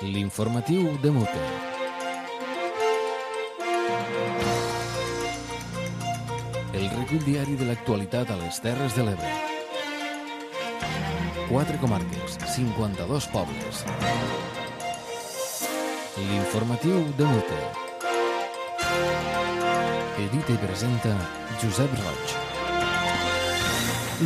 L'informatiu de Mute. El recull diari de l'actualitat a les Terres de l'Ebre. 4 comarques, 52 pobles. L'informatiu de Mute. Edita i presenta Josep Roig.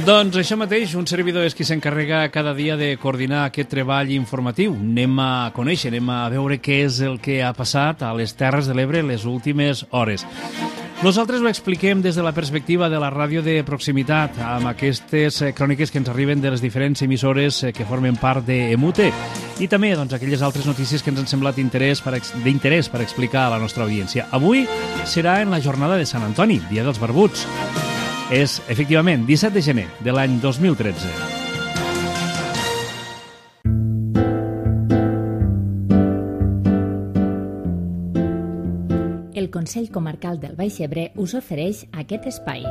Doncs això mateix, un servidor és qui s'encarrega cada dia de coordinar aquest treball informatiu. Anem a conèixer, anem a veure què és el que ha passat a les Terres de l'Ebre les últimes hores. Nosaltres ho expliquem des de la perspectiva de la ràdio de proximitat, amb aquestes cròniques que ens arriben de les diferents emissores que formen part d'Emute, i també aquelles altres notícies que ens han semblat d'interès per explicar a la nostra audiència. Avui serà en la jornada de Sant Antoni, Dia dels Barbuts. És, efectivament, 17 de gener de l'any 2013. El Consell Comarcal del Baix Ebre us ofereix aquest espai.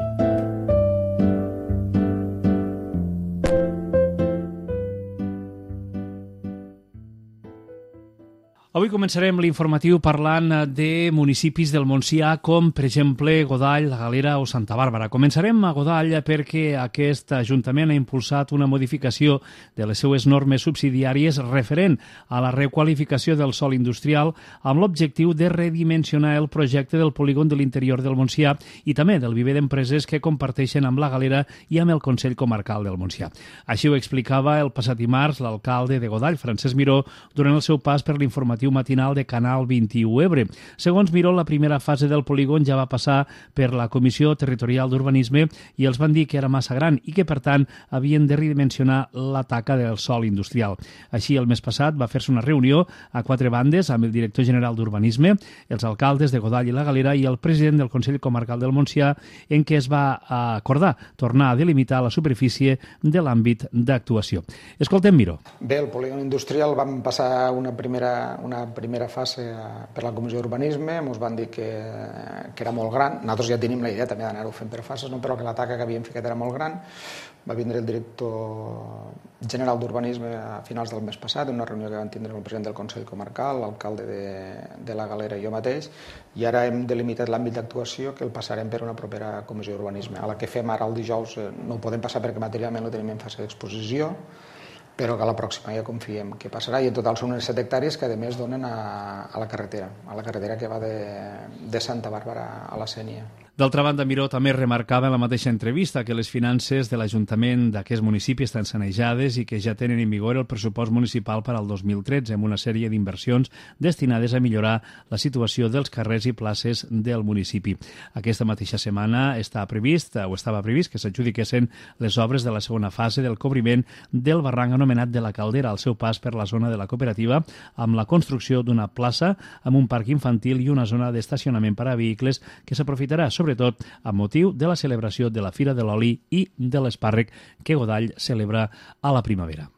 Avui començarem l'informatiu parlant de municipis del Montsià com, per exemple, Godall, la Galera o Santa Bàrbara. Començarem a Godall perquè aquest ajuntament ha impulsat una modificació de les seues normes subsidiàries referent a la requalificació del sòl industrial amb l'objectiu de redimensionar el projecte del polígon de l'interior del Montsià i també del viver d'empreses que comparteixen amb la Galera i amb el Consell Comarcal del Montsià. Així ho explicava el passat dimarts l'alcalde de Godall, Francesc Miró, durant el seu pas per l'informatiu matinal de Canal 21 Ebre. Segons Miró, la primera fase del polígon ja va passar per la Comissió Territorial d'Urbanisme i els van dir que era massa gran i que, per tant, havien de redimensionar la taca del sòl industrial. Així, el mes passat va fer-se una reunió a 4 bandes amb el director general d'Urbanisme, els alcaldes de Godall i la Galera i el president del Consell Comarcal del Montsià, en què es va acordar tornar a delimitar la superfície de l'àmbit d'actuació. Escoltem Miró. Bé, el polígon industrial vam passar una primera fase per la Comissió d'Urbanisme, ens van dir que era molt gran. Nosaltres ja tenim la idea també d'anar-ho fent per fases, no? Però que la taca que havíem ficat era molt gran. Va vindre el director general d'Urbanisme a finals del mes passat, en una reunió que vam tindre amb el president del Consell Comarcal, l'alcalde de la Galera i jo mateix, i ara hem delimitat l'àmbit d'actuació que el passarem per una propera Comissió d'Urbanisme. A la que fem ara el dijous no ho podem passar perquè materialment no tenim en fase d'exposició, però que a la pròxima ja confiem que passarà, i en total són unes 7 hectàrees que a més donen a la carretera que va de Santa Bàrbara a la Sénia. D'altra banda, Miró també remarcava en la mateixa entrevista que les finances de l'Ajuntament d'aquest municipi estan sanejades i que ja tenen en vigor el pressupost municipal per al 2013 amb una sèrie d'inversions destinades a millorar la situació dels carrers i places del municipi. Aquesta mateixa setmana estava previst que s'adjudiquessin les obres de la segona fase del cobriment del barranc anomenat de la Caldera al seu pas per la zona de la cooperativa, amb la construcció d'una plaça amb un parc infantil i una zona d'estacionament per a vehicles que s'aprofitarà sobretot amb motiu de la celebració de la Fira de l'Oli i de l'Espàrrec que Godall celebra a la primavera.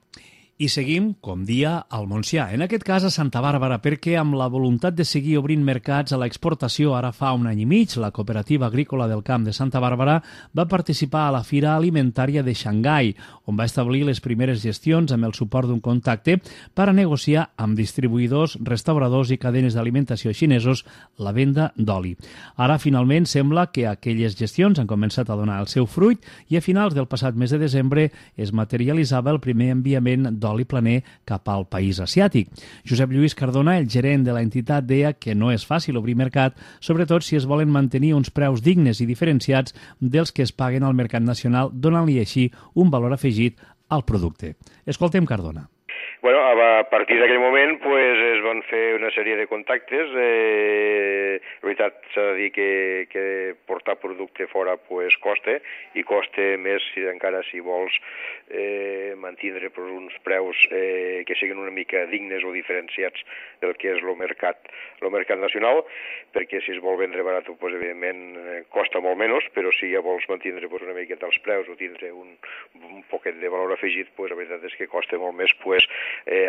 I seguim, com dia, al Montsià. En aquest cas a Santa Bàrbara, perquè amb la voluntat de seguir obrint mercats a l'exportació ara fa un any i mig, la Cooperativa Agrícola del Camp de Santa Bàrbara va participar a la Fira Alimentària de Xangai, on va establir les primeres gestions amb el suport d'un contacte per a negociar amb distribuïdors, restauradors i cadenes d'alimentació xinesos la venda d'oli. Ara, finalment, sembla que aquelles gestions han començat a donar el seu fruit i a finals del passat mes de desembre es materialitzava el primer enviament d'oli planer cap al país asiàtic. Josep Lluís Cardona, el gerent de l'entitat, deia que no és fàcil obrir mercat, sobretot si es volen mantenir uns preus dignes i diferenciats dels que es paguen al mercat nacional, donant-li així un valor afegit al producte. Escoltem Cardona. Bueno, a partir d'aquell moment es van fer una sèrie de contactes. La veritat s'ha de dir que portar producte fora costa, i costa més encara si vols mantindre uns preus que siguin una mica dignes o diferenciats del que és el mercat nacional, perquè si es vol vendre barat, evidentment costa molt menys, però si ja vols mantindre una miqueta els preus o tindre un poquet de valor afegit, la veritat és que costa molt més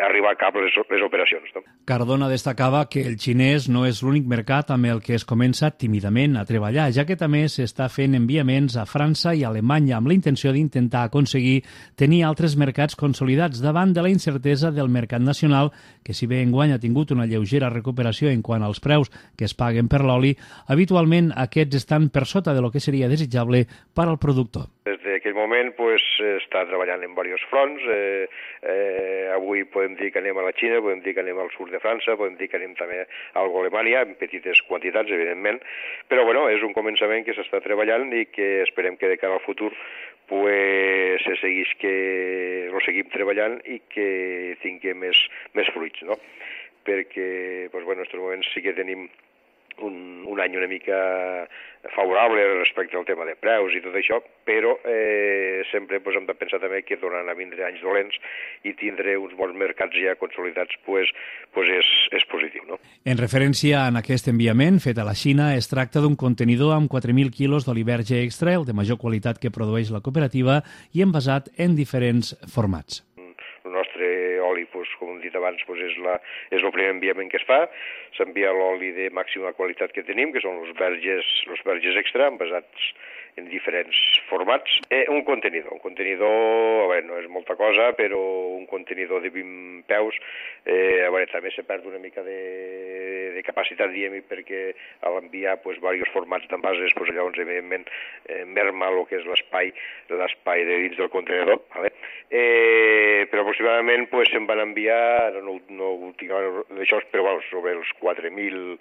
arribar a cap les operacions. No? Cardona destacava que el xinès no és l'únic mercat amb el que es comença tímidament a treballar, ja que també s'està fent enviaments a França i Alemanya amb la intenció d'intentar aconseguir tenir altres mercats consolidats davant de la incertesa del mercat nacional, que si bé enguany ha tingut una lleugera recuperació en quant als preus que es paguen per l'oli, habitualment aquests estan per sota de lo que seria desitjable per al productor. Des d'aquell moment està treballant en diversos fronts. Avui podem dir que anem a la Xina, podem dir que anem al sud de França, podem dir que anem també a Alemanya, en petites quantitats, evidentment, però és un començament que s'està treballant i que esperem que de cara al futur se seguim treballant i que tinguem més fruits, no? Perquè en aquests moments sí que tenim un any una mica favorable respecte al tema de preus i tot això, però sempre hem de pensar també que tornaran a vindre anys dolents i tindre uns bons mercats ja consolidats és positiu. No? En referència a aquest enviament fet a la Xina, es tracta d'un contenidor amb 4.000 quilos d'oli verge extra, el de major qualitat que produeix la cooperativa i envasat en diferents formats. El nostre oli, com hem dit abans, és el primer enviament que es fa. S'envia l'oli de màxima qualitat que tenim, que són els verges extra, envasats en diferents formats. Un contenidor, no és molta cosa, però un contenidor de 20 peus, també se perd una mica de capacitat, diguem-hi, perquè a l'enviar diversos formats d'envases, llavors, evidentment, merma el que és l'espai de dins del contenidor, vale? Però aproximadament se'n van enviar, no ho tinc d'això, però sobre els 4.000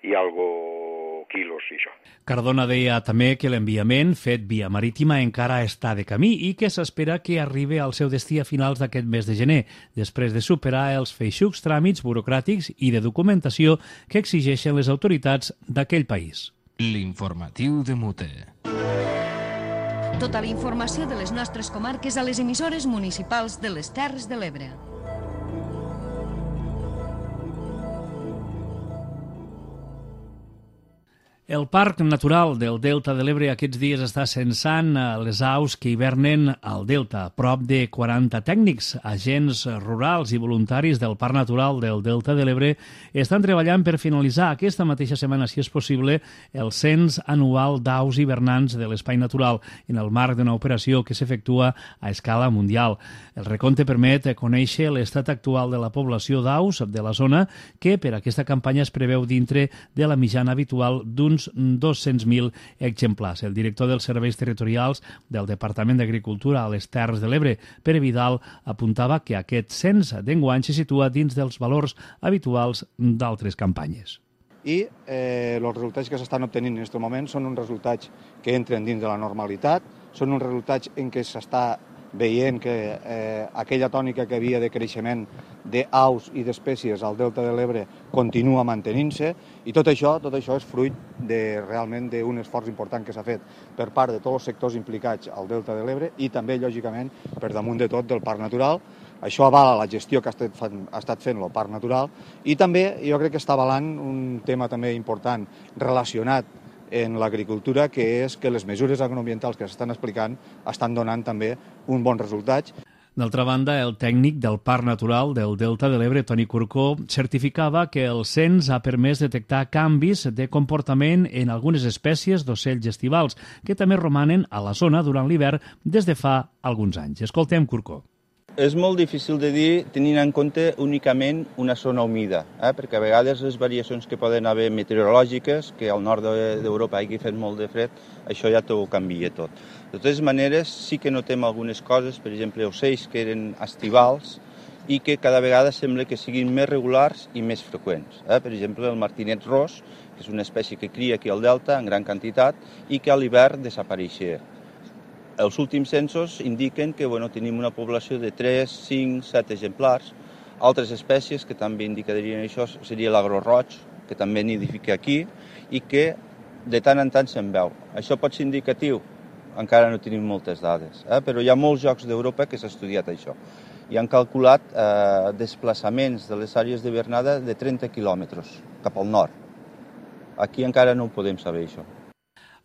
i algo quilos i això. Cardona deia també que l'enviament fet via marítima encara està de camí i que s'espera que arribi al seu destí a finals d'aquest mes de gener, després de superar els feixucs tràmits burocràtics i de documentació que exigeixen les autoritats d'aquell país. L'informatiu de Mute. Tota la informació de les nostres comarques a les emissores municipals de les Terres de l'Ebre. El Parc Natural del Delta de l'Ebre aquests dies està censant les aus que hivernen al Delta. Prop de 40 tècnics, agents rurals i voluntaris del Parc Natural del Delta de l'Ebre estan treballant per finalitzar aquesta mateixa setmana, si és possible, el cens anual d'aus hivernants de l'espai natural en el marc d'una operació que s'efectua a escala mundial. El recompte permet conèixer l'estat actual de la població d'aus de la zona, que per aquesta campanya es preveu dintre de la mitjana habitual d'uns 200.000 exemplars. El director dels serveis territorials del Departament d'Agricultura a les Terres de l'Ebre, Pere Vidal, apuntava que aquest cens d'enguany se situa dins dels valors habituals d'altres campanyes. I els resultats que s'estan obtenint en aquest moment són uns resultats que entren dins de la normalitat, són uns resultats en què s'està veient que aquella tònica que havia de creixement d'aus i d'espècies al Delta de l'Ebre continua mantenint-se i tot això és fruit realment d'un esforç important que s'ha fet per part de tots els sectors implicats al Delta de l'Ebre i també, lògicament, per damunt de tot del Parc Natural. Això avala la gestió que ha estat fent el Parc Natural i també jo crec que està avalant un tema també important relacionat en l'agricultura, que és que les mesures agroambientals que s'estan explicant estan donant també un bon resultat. D'altra banda, el tècnic del Parc Natural del Delta de l'Ebre, Toni Curcó, certificava que el cens ha permès detectar canvis de comportament en algunes espècies d'ocells estivals, que també romanen a la zona durant l'hivern des de fa alguns anys. Escoltem Curcó. És molt difícil de dir tenint en compte únicament una zona humida, perquè a vegades les variacions que poden haver meteorològiques, que al nord d'Europa hagi fet molt de fred, això ja t'ho canvia tot. De totes maneres, sí que notem algunes coses, per exemple, ocells que eren estivals i que cada vegada sembla que siguin més regulars i més freqüents. Per exemple, el martinet ros, que és una espècie que cria aquí al Delta en gran quantitat i que a l'hivern desapareixia. Els últims censos indiquen que tenim una població de 3, 5, 7 exemplars. Altres espècies que també indicarien això seria l'agro roig, que també nidifica aquí, i que de tant en tant se'n veu. Això pot ser indicatiu, encara no tenim moltes dades, però hi ha molts llocs d'Europa que s'ha estudiat això. I han calculat desplaçaments de les àrees d'hivernada de 30 quilòmetres cap al nord. Aquí encara no ho podem saber, això.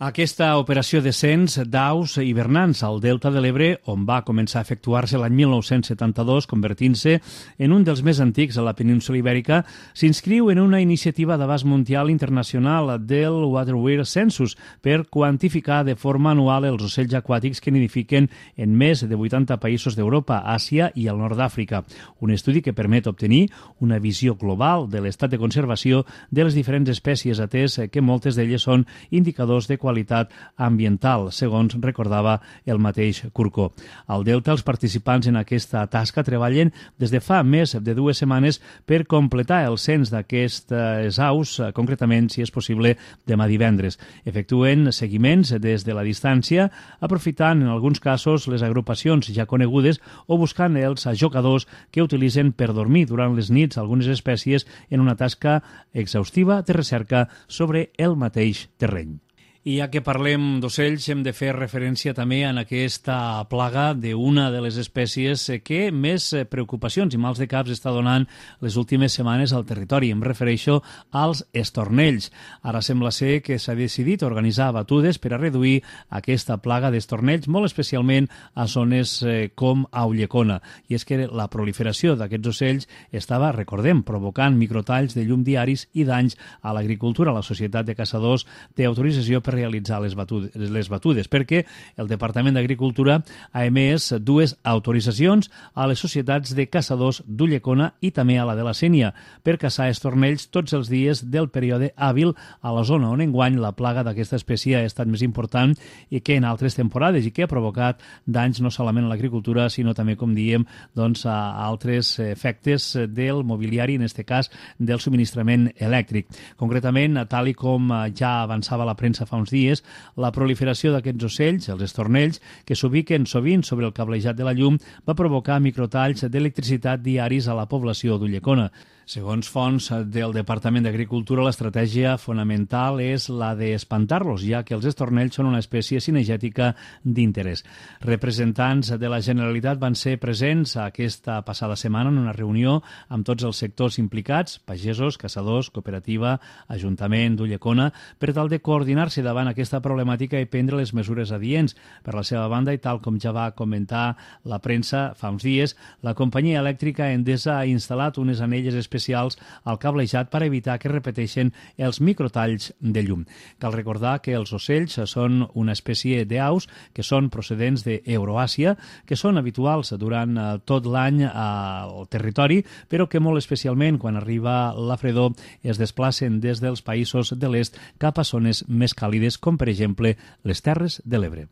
Aquesta operació de cens d'aus hivernants al Delta de l'Ebre, on va començar a efectuar-se l'any 1972, convertint-se en un dels més antics a la península Ibèrica, s'inscriu en una iniciativa d'abast mundial internacional del Waterwear Census per quantificar de forma anual els ocells aquàtics que nidifiquen en més de 80 països d'Europa, Àsia i el nord d'Àfrica. Un estudi que permet obtenir una visió global de l'estat de conservació de les diferents espècies, atès que moltes d'elles són indicadors de qualitat ambiental, segons recordava el mateix Curcó. Al Delta, els participants en aquesta tasca treballen des de fa més de 2 setmanes per completar el cens d'aquestes aus, concretament, si és possible, demà divendres. Efectuen seguiments des de la distància, aprofitant en alguns casos les agrupacions ja conegudes o buscant els ajocadors que utilitzen per dormir durant les nits algunes espècies en una tasca exhaustiva de recerca sobre el mateix terreny. I ja que parlem d'ocells, hem de fer referència també en aquesta plaga d'una de les espècies que més preocupacions i mals de caps està donant les últimes setmanes al territori. Em refereixo als estornells. Ara sembla ser que s'ha decidit organitzar batudes per a reduir aquesta plaga d'estornells, molt especialment a zones com a Ulldecona. I és que la proliferació d'aquests ocells estava, recordem, provocant microtalls de llum diaris i danys a l'agricultura. La Societat de Caçadors té autorització per realitzar les batudes, perquè el Departament d'Agricultura ha emès 2 autoritzacions a les societats de caçadors d'Ulldecona i també a la de la Sénia per caçar estornells tots els dies del període hàbil a la zona on enguany la plaga d'aquesta espècie ha estat més important i que en altres temporades i que ha provocat danys no solament a l'agricultura sinó també, com diem, doncs, a altres efectes del mobiliari, en aquest cas del subministrament elèctric. Concretament, tal i com ja avançava la premsa fa uns dies, la proliferació d'aquests ocells, els estornells, que s'ubiquen sovint sobre el cablejat de la llum, va provocar microtalls d'electricitat diaris a la població d'Ulldecona. Segons fonts del Departament d'Agricultura, l'estratègia fonamental és la d'espantar-los, ja que els estornells són una espècie cinegètica d'interès. Representants de la Generalitat van ser presents aquesta passada setmana en una reunió amb tots els sectors implicats, pagesos, caçadors, cooperativa, Ajuntament d'Ulldecona, per tal de coordinar-se davant aquesta problemàtica i prendre les mesures adients. Per la seva banda, i tal com ja va comentar la premsa fa uns dies, la companyia elèctrica Endesa ha instal·lat unes anelles especials al cablejat per evitar que repeteixen els microtalls de llum. Cal recordar que els ocells són una espècie d'aus que són procedents d'Euroàsia, que són habituals durant tot l'any al territori, però que molt especialment quan arriba la fredor es desplacen des dels països de l'est cap a zones més càlides, com per exemple les Terres de l'Ebre.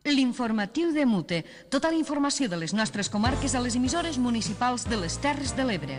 L'informatiu de Mute. Tota la informació de les nostres comarques a les emissores municipals de les Terres de l'Ebre.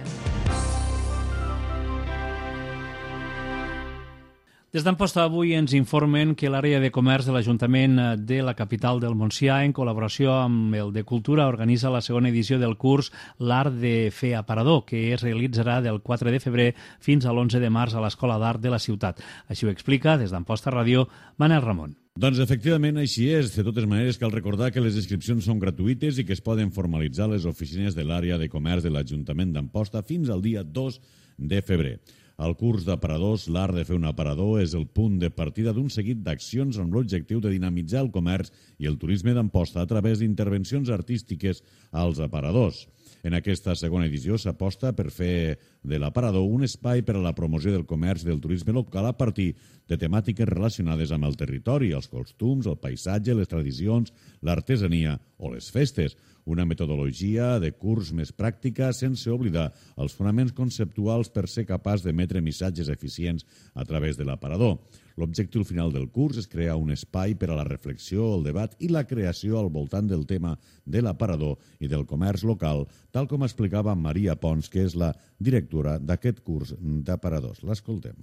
Des d'Amposta avui ens informen que l'àrea de comerç de l'Ajuntament de la capital del Montsià, en col·laboració amb el de Cultura, organitza la segona edició del curs L'Art de Fer Aparador, que es realitzarà del 4 de febrer fins a l'11 de març a l'Escola d'Art de la ciutat. Així ho explica, des d'Amposta Ràdio, Manel Ramon. Doncs efectivament així és. De totes maneres, cal recordar que les inscripcions són gratuïtes i que es poden formalitzar les oficines de l'àrea de comerç de l'Ajuntament d'Amposta fins al dia 2 de febrer. El curs d'aparadors, l'art de fer un aparador, és el punt de partida d'un seguit d'accions amb l'objectiu de dinamitzar el comerç i el turisme d'Amposta a través d'intervencions artístiques als aparadors. En aquesta segona edició s'aposta per fer de l'aparador un espai per a la promoció del comerç i del turisme local a partir de temàtiques relacionades amb el territori, els costums, el paisatge, les tradicions, l'artesania o les festes. Una metodologia de curs més pràctica sense oblidar els fonaments conceptuals per ser capaç d'emetre missatges eficients a través de l'aparador. L'objectiu final del curs és crear un espai per a la reflexió, el debat i la creació al voltant del tema de l'aparador i del comerç local, tal com explicava Maria Pons, que és la directora d'aquest curs d'aparadors. L'escoltem.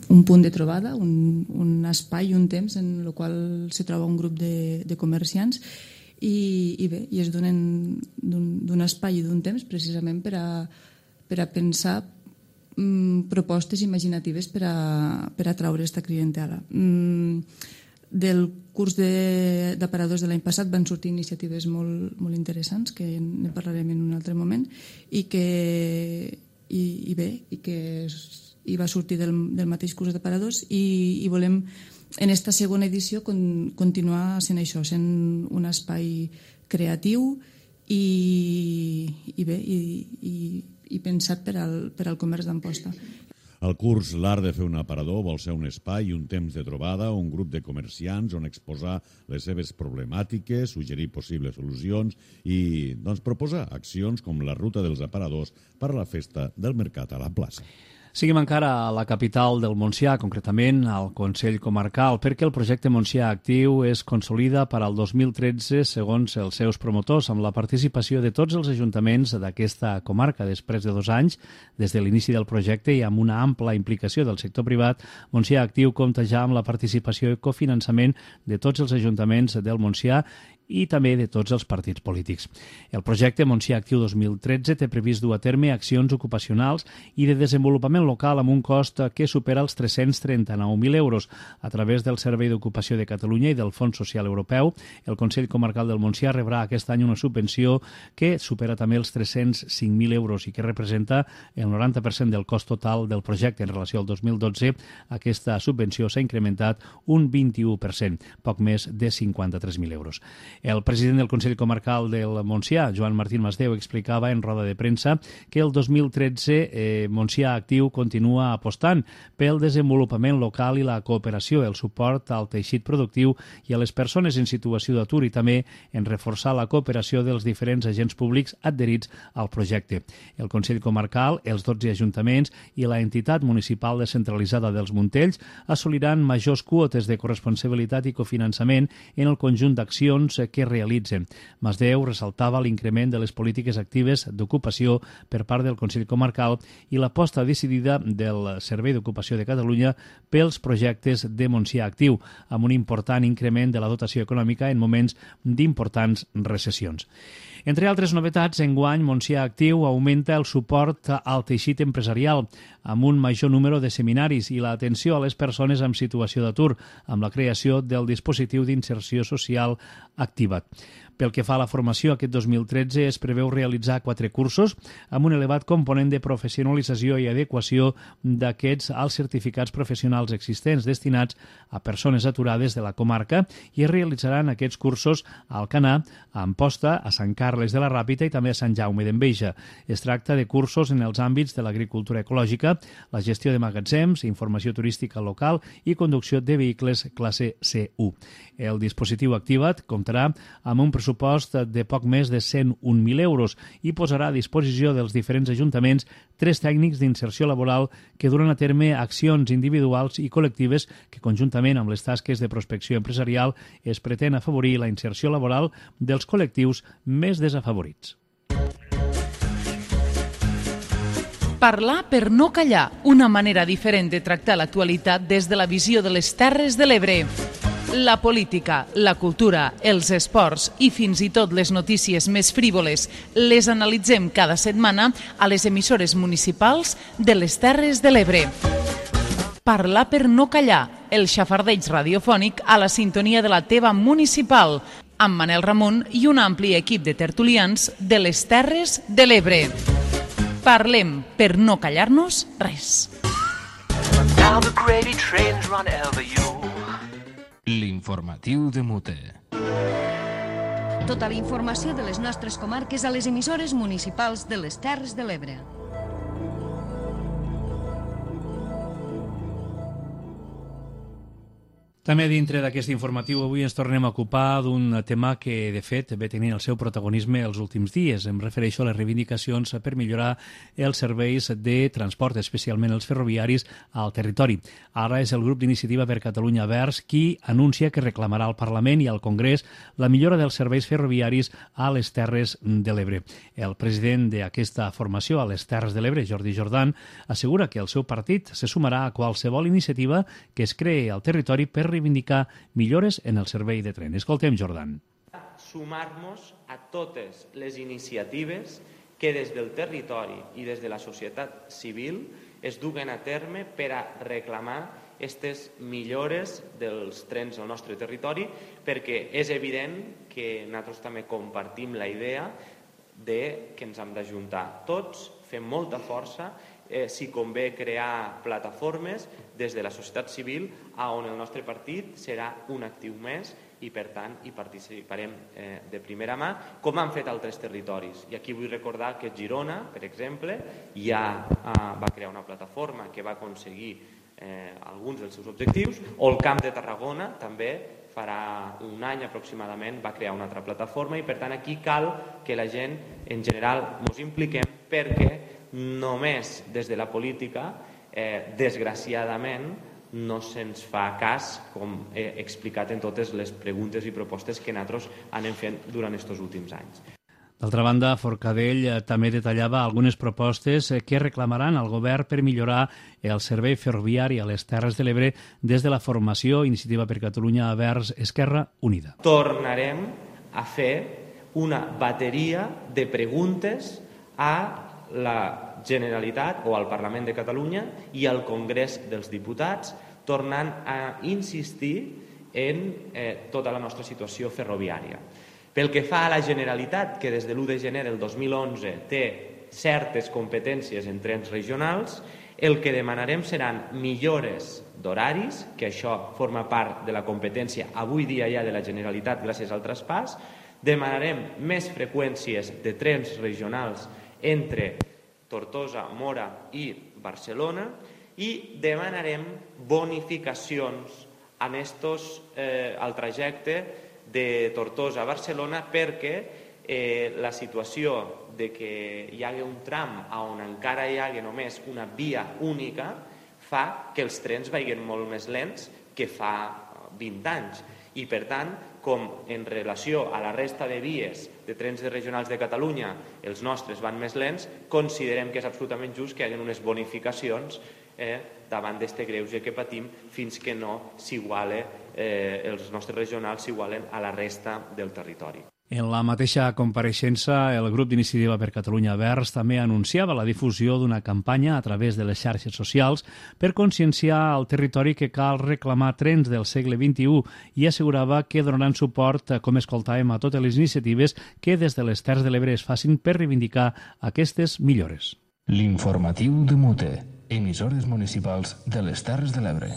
Un punt de trobada, un espai, un temps en el qual se troba un grup de comerciants i bé, i es donen d'un espai i d'un temps precisament per a pensar propostes imaginatives per a atraure aquesta clientela. Del curs d'aparadors de l'any passat van sortir iniciatives molt interessants, que ne parlarem en un altre moment, i que va sortir del mateix curs d'aparadors i volem en esta segona edició continuar sent això, sent un espai creatiu i pensat per al comerç d'Amposta. El curs L'Art de fer un aparador vol ser un espai i un temps de trobada, un grup de comerciants on exposar les seves problemàtiques, suggerir possibles solucions i proposar accions com la ruta dels aparadors per a la festa del mercat a la plaça. Seguim encara a la capital del Montsià, concretament al Consell Comarcal, perquè el projecte Montsià Actiu es consolida per al 2013 segons els seus promotors, amb la participació de tots els ajuntaments d'aquesta comarca. Després de 2 anys, des de l'inici del projecte i amb una ampla implicació del sector privat, Montsià Actiu compta ja amb la participació i cofinançament de tots els ajuntaments del Montsià i també de tots els partits polítics. El projecte Montsià Actiu 2013 té previst dur a terme accions ocupacionals i de desenvolupament local amb un cost que supera els 339.000 euros. A través del Servei d'Ocupació de Catalunya i del Fons Social Europeu, el Consell Comarcal del Montsià rebrà aquest any una subvenció que supera també els 305.000 euros i que representa el 90% del cost total del projecte. En relació al 2012, aquesta subvenció s'ha incrementat un 21%, poc més de 53.000 euros. El president del Consell Comarcal del Montsià, Joan Martín Masdeu, explicava en roda de premsa que el 2013 Montsià Actiu continua apostant pel desenvolupament local i la cooperació, el suport al teixit productiu i a les persones en situació d'atur i també en reforçar la cooperació dels diferents agents públics adherits al projecte. El Consell Comarcal, els 12 ajuntaments i la entitat municipal descentralitzada dels Montells assoliran majors quotes de corresponsabilitat i cofinançament en el conjunt d'accions que realitzen. Masdeu ressaltava l'increment de les polítiques actives d'ocupació per part del Consell Comarcal i l'aposta decidida del Servei d'Ocupació de Catalunya pels projectes de Montsià Actiu, amb un important increment de la dotació econòmica en moments d'importants recessions. Entre altres novetats, enguany Montsià Actiu augmenta el suport al teixit empresarial amb un major número de seminaris i l'atenció a les persones en situació d'atur, amb la creació del dispositiu d'inserció social activat. Pel que fa a la formació, aquest 2013 es preveu realitzar 4 cursos amb un elevat component de professionalització i adequació d'aquests als certificats professionals existents destinats a persones aturades de la comarca i es realitzaran aquests cursos a Alcanar, a Amposta, a Sant Carles de la Ràpita i també a Sant Jaume d'Enveja. Es tracta de cursos en els àmbits de l'agricultura ecològica, la gestió de magatzems, informació turística local i conducció de vehicles classe C1. El dispositiu activat comptarà amb un pressupost de poc més de 101.000 euros i posarà a disposició dels diferents ajuntaments 3 tècnics d'inserció laboral que duran a terme accions individuals i col·lectives que, conjuntament amb les tasques de prospecció empresarial, es pretén afavorir la inserció laboral dels col·lectius més desafavorits. Parlar per no callar, una manera diferent de tractar l'actualitat des de la visió de les Terres de l'Ebre. La política, la cultura, els esports i fins i tot les notícies més frívoles les analitzem cada setmana a les emissores municipals de les Terres de l'Ebre. Parlar per no callar, el xafardeig radiofònic a la sintonia de la teva municipal, amb Manel Ramon i un ampli equip de tertulians de les Terres de l'Ebre. Parlem per no callar-nos res. L'informatiu de Mute. Tota la informació de les nostres comarques a les emissores municipals de les Terres de l'Ebre. També dintre d'aquest informatiu avui ens tornem a ocupar d'un tema que, de fet, ve tenint el seu protagonisme els últims dies. Em refereixo a les reivindicacions per millorar els serveis de transport, especialment els ferroviaris, al territori. Ara és el grup d'Iniciativa per Catalunya Verds qui anuncia que reclamarà al Parlament i al Congrés la millora dels serveis ferroviaris a les Terres de l'Ebre. El president d'aquesta formació a les Terres de l'Ebre, Jordi Jordan, assegura que el seu partit se sumarà a qualsevol iniciativa que es creï al territori per reivindicar millores en el servei de tren. Escoltem Jordan. Sumar-nos a totes les iniciatives que des del territori i des de la societat civil es duguen a terme per a reclamar aquestes millores dels trens al nostre territori, perquè és evident que nosaltres també compartim la idea de que ens hem d'ajuntar tots, fer molta força si convé crear plataformes des de la societat civil on el nostre partit serà un actiu més i, per tant, hi participarem de primera mà, com han fet altres territoris. I aquí vull recordar que Girona, per exemple, ja va crear una plataforma que va aconseguir alguns dels seus objectius, o el Camp de Tarragona també farà un any aproximadament va crear una altra plataforma, i per tant aquí cal que la gent en general ens impliquem, perquè només des de la política, desgraciadament, no se'ns fa cas, com he explicat en totes les preguntes i propostes que nosaltres anem fent durant aquests últims anys. D'altra banda, Forcadell també detallava algunes propostes que reclamaran al govern per millorar el servei ferroviari a les Terres de l'Ebre des de la formació Iniciativa per Catalunya vers Esquerra Unida. Tornarem a fer una bateria de preguntes a la Generalitat o al Parlament de Catalunya i al Congrés dels Diputats, tornant a insistir en tota la nostra situació ferroviària. Pel que fa a la Generalitat, que des de l'1 de gener del 2011 té certes competències en trens regionals, el que demanarem seran millores d'horaris, que això forma part de la competència avui dia ja de la Generalitat gràcies al traspàs, demanarem més freqüències de trens regionals entre Tortosa, Mora i Barcelona, i demanarem bonificacions al trajecte de Tortosa a Barcelona, perquè la situació de que hi hagi un tram on encara hi hagi només una via única fa que els trens vagin molt més lents que fa 20 anys. I, per tant, com en relació a la resta de vies de trens regionals de Catalunya els nostres van més lents, considerem que és absolutament just que hi hagi unes bonificacions davant d'aquest greuge que patim fins que no els nostres regionals s'igualen a la resta del territori. En la mateixa compareixença, el grup d'Iniciativa per Catalunya Verds també anunciava la difusió d'una campanya a través de les xarxes socials per conscienciar al territori que cal reclamar trens del segle XXI i assegurava que donaran suport, com escoltàvem, a totes les iniciatives que des de les Terres de l'Ebre es facin per reivindicar aquestes millores. L'informatiu de Mute, emissores municipals de les Terres de l'Ebre.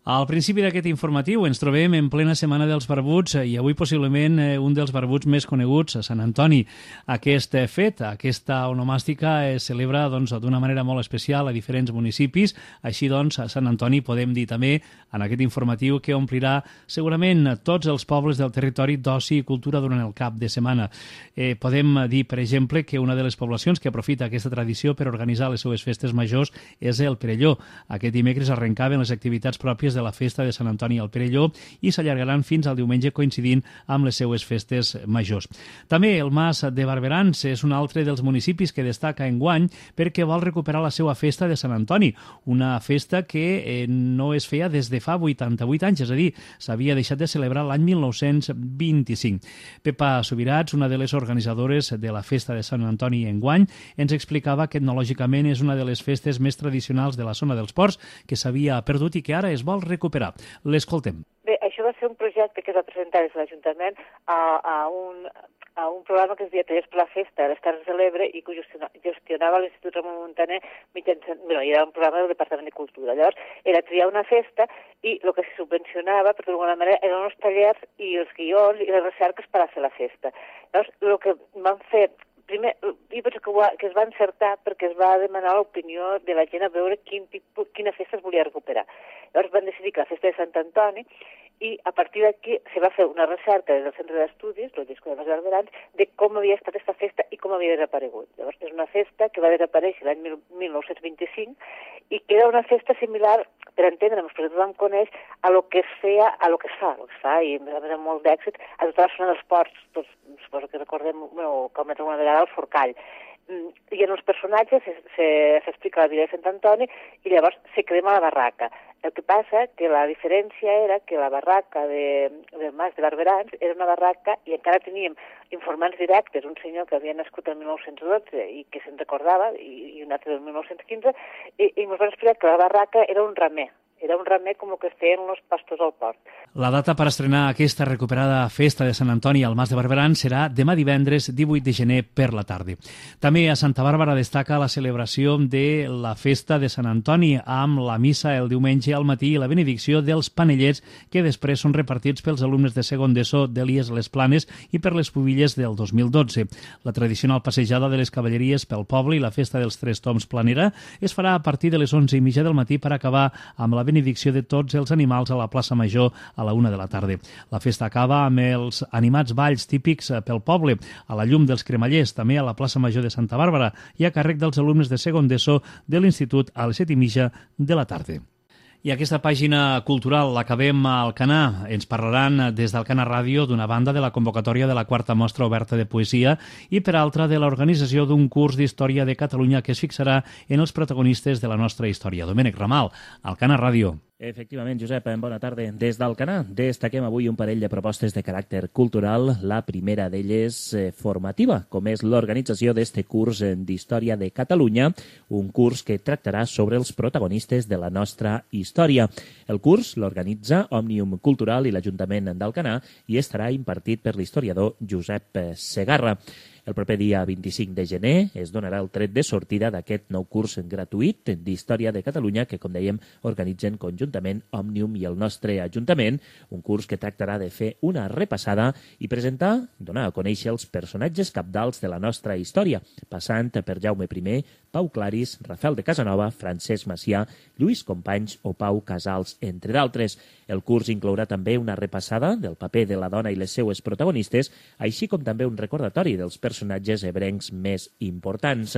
Al principi d'aquest informatiu ens trobem en plena Setmana dels Barbuts i avui possiblement un dels barbuts més coneguts, a Sant Antoni. Aquest fet, aquesta onomàstica es celebra d'una manera molt especial a diferents municipis. Així doncs, a Sant Antoni podem dir també en aquest informatiu que omplirà segurament tots els pobles del territori d'oci i cultura durant el cap de setmana. Podem dir, per exemple, que una de les poblacions que aprofita aquesta tradició per organitzar les seues festes majors és el Perelló. Aquest dimecres arrencaven les activitats pròpies de la festa de Sant Antoni al Perelló i s'allargaran fins al diumenge coincidint amb les seues festes majors. També el Mas de Barberans és un altre dels municipis que destaca enguany perquè vol recuperar la seva festa de Sant Antoni, una festa que no es feia des de fa 88 anys, és a dir, s'havia deixat de celebrar l'any 1925. Pepa Subirats, una de les organitzadores de la festa de Sant Antoni enguany, ens explicava que etnològicament és una de les festes més tradicionals de la zona dels ports que s'havia perdut i que ara es vol recuperar. L'escoltem. Bé, això va ser un projecte que es va presentar des de l'Ajuntament a un programa que es deia Tallers per la Festa de les Terres de l'Ebre i que gestionava l'Institut Ramon Muntaner mitjançant... era un programa del Departament de Cultura. Llavors, era triar una festa i el que se subvencionava, per d'alguna manera, eren els tallers i els guions i les recerques per a fer la festa. Llavors, el que van fer... Primer, jo penso que es va encertar perquè es va demanar l'opinió de la gent a veure quina festa es volia recuperar. Llavors van decidir que la festa de Sant Antoni i a partir d'aquí se va fer una recerca des del Centre d'Estudis, el disco de Mas Barberans, de com havia estat aquesta festa i com havia desaparegut. Llavors és una festa que va desaparèixer l'any 1925 i que era una festa similar, per entendre'ns, perquè tothom coneix a lo que es feia, a lo que es fa, i a més amb molt d'èxit, a tota la zona dels ports, tots, suposo que recordem, com és una vegada el Forcall. I en els personatges s'explica la vida de Sant Antoni i llavors se crema la barraca. El que passa que la diferència era que la barraca del Mas de Barberans era una barraca i encara teníem informants directes, un senyor que havia nascut el 1912 i que se'n recordava, i un altre del 1915, i ens van explicar que la barraca era un ramer. Era un remei com el que es feien uns pastors al port. La data per estrenar aquesta recuperada festa de Sant Antoni al Mas de Barberan serà demà divendres 18 de gener per la tarda. També a Santa Bàrbara destaca la celebració de la festa de Sant Antoni amb la missa el diumenge al matí i la benedicció dels panellets que després són repartits pels alumnes de segon d'ESO d'Elies Les Planes i per les pubilles del 2012. La tradicional passejada de les cavalleries pel poble i la festa dels Tres Toms Planera es farà a partir de les 11:30 del matí per acabar amb la benedicció de tots els animals a la plaça Major a la 1 de la tarda. La festa acaba amb els animats balls típics pel poble, a la llum dels cremallers, també a la plaça Major de Santa Bàrbara i a càrrec dels alumnes de segon d'ESO de l'Institut a les 7:30 de la tarda. I aquesta pàgina cultural l'acabem a Alcanar. Ens parlaran des d'Alcanar Ràdio d'una banda de la convocatòria de la quarta mostra oberta de poesia i per altra de l'organització d'un curs d'història de Catalunya que es fixarà en els protagonistes de la nostra història. Domènec Ramal, Alcanar Ràdio. Efectivament, Josep, bona tarda. Des d'Alcanar destaquem avui un parell de propostes de caràcter cultural. La primera d'elles formativa, com és l'organització d'este curs d'Història de Catalunya, un curs que tractarà sobre els protagonistes de la nostra història. El curs l'organitza Òmnium Cultural i l'Ajuntament d'Alcanar i estarà impartit per l'historiador Josep Segarra. El proper dia 25 de gener es donarà el tret de sortida d'aquest nou curs gratuït d'Història de Catalunya que, com dèiem, organitzen conjuntament Òmnium i el nostre Ajuntament, un curs que tractarà de fer una repassada i presentar, donar a conèixer els personatges cabdals de la nostra història, passant per Jaume I, Pau Claris, Rafael de Casanova, Francesc Macià, Lluís Companys o Pau Casals, entre d'altres. El curs inclourà també una repassada del paper de la dona i les seues protagonistes, així com també un recordatori dels personatges ebrencs més importants.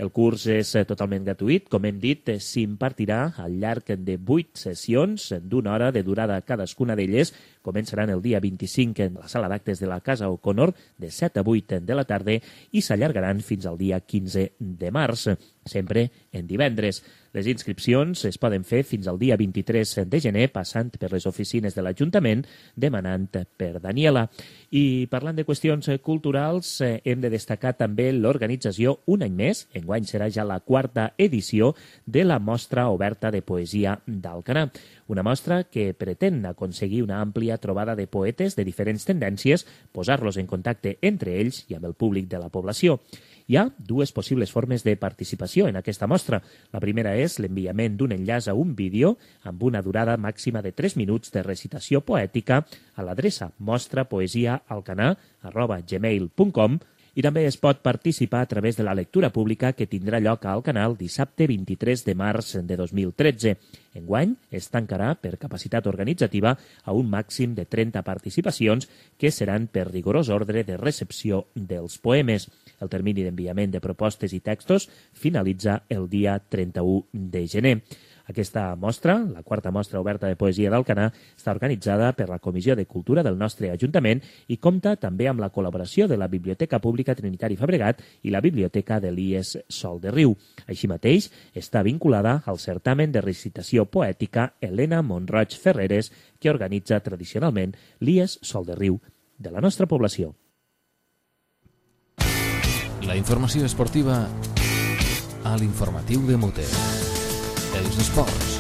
El curs és totalment gratuït. Com hem dit, s'impartirà al llarg de 8 sessions d'una hora de durada cadascuna d'elles. Començaran el dia 25 en la sala d'actes de la Casa O'Connor de 7 a 8 de la tarda i s'allargaran fins al dia 15 de març, sempre en divendres. Les inscripcions es poden fer fins al dia 23 de gener passant per les oficines de l'Ajuntament demanant per Daniela. I parlant de qüestions culturals, hem de destacar també l'organització un any més, enguany serà ja la 4a edició de la Mostra Oberta de Poesia d'Alcanar. Una mostra que pretén aconseguir una àmplia trobada de poetes de diferents tendències, posar-los en contacte entre ells i amb el públic de la població. Hi ha dues possibles formes de participació en aquesta mostra. La primera és l'enviament d'un enllaç a un vídeo amb una durada màxima de 3 minuts de recitació poètica a l'adreça mostrapoesiaalcanar@gmail.com i també es pot participar a través de la lectura pública que tindrà lloc al canal dissabte 23 de març de 2013. Enguany es tancarà per capacitat organitzativa a un màxim de 30 participacions que seran per rigorós ordre de recepció dels poemes. El termini d'enviament de propostes i textos finalitza el dia 31 de gener. Aquesta mostra, la quarta mostra oberta de poesia d'Alcanar, està organitzada per la Comissió de Cultura del nostre Ajuntament i compta també amb la col·laboració de la Biblioteca Pública Trinitari Fabregat i la Biblioteca de l'IES Sol de Riu. Així mateix, està vinculada al certamen de recitació poètica Helena Monroig Ferreres, que organitza tradicionalment l'IES Sol de Riu de la nostra població. La informació esportiva a l'informatiu de Mute. Els esports.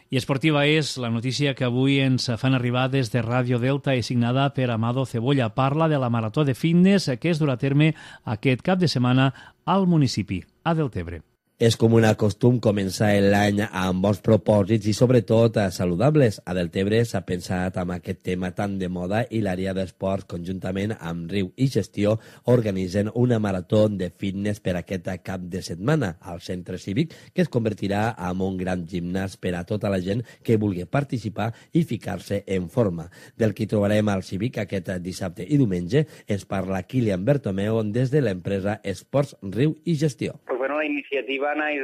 I esportiva és la notícia que avui ens fan arribar des de Ràdio Delta i signada per Amado Cebolla. Parla de la marató de fitness que es durà a terme aquest cap de setmana al municipi, a Deltebre. És com un costum començar l'any amb bons propòsits i sobretot saludables. A Deltebre s'ha pensat amb aquest tema tan de moda i l'àrea d'esports conjuntament amb Riu i Gestió organitzen una marató de fitness per aquest cap de setmana al centre cívic que es convertirà en un gran gimnàs per a tota la gent que vulgui participar i ficar-se en forma. Del que trobarem al cívic aquest dissabte i diumenge ens parla Kilian Bertomeu des de l'empresa Esports Riu i Gestió. La iniciativa naix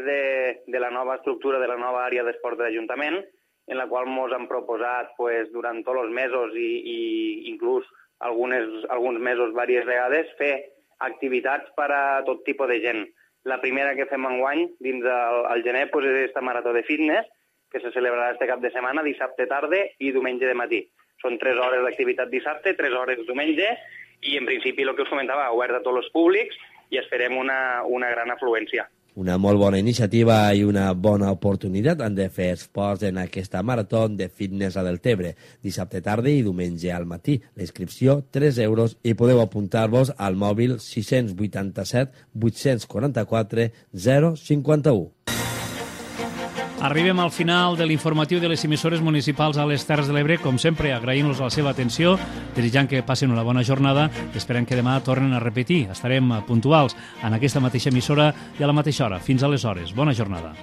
de la nova estructura de la nova àrea d'esport de l'Ajuntament, en la qual ens han proposat durant tots els mesos i inclús alguns mesos diverses vegades fer activitats per a tot tipus de gent. La primera que fem enguany dins el gener és aquesta marató de fitness que se celebrarà este cap de setmana, dissabte tarda i diumenge de matí. Són 3 hores d'activitat dissabte, 3 hores diumenge i en principi el que us comentava, obert a tots els públics i esperem una gran afluència. Una molt bona iniciativa i una bona oportunitat han de fer esports en aquesta marató de fitness a Deltebre. Dissabte tarda i diumenge al matí. La inscripció, 3 euros, i podeu apuntar-vos al mòbil 687 844 051. Arribem al final de l'informatiu de les emissores municipals a les Terres de l'Ebre. Com sempre, agraïm-los la seva atenció, desitjant que passin una bona jornada. Esperem que demà tornen a repetir. Estarem puntuals en aquesta mateixa emissora i a la mateixa hora. Fins aleshores. Bona jornada.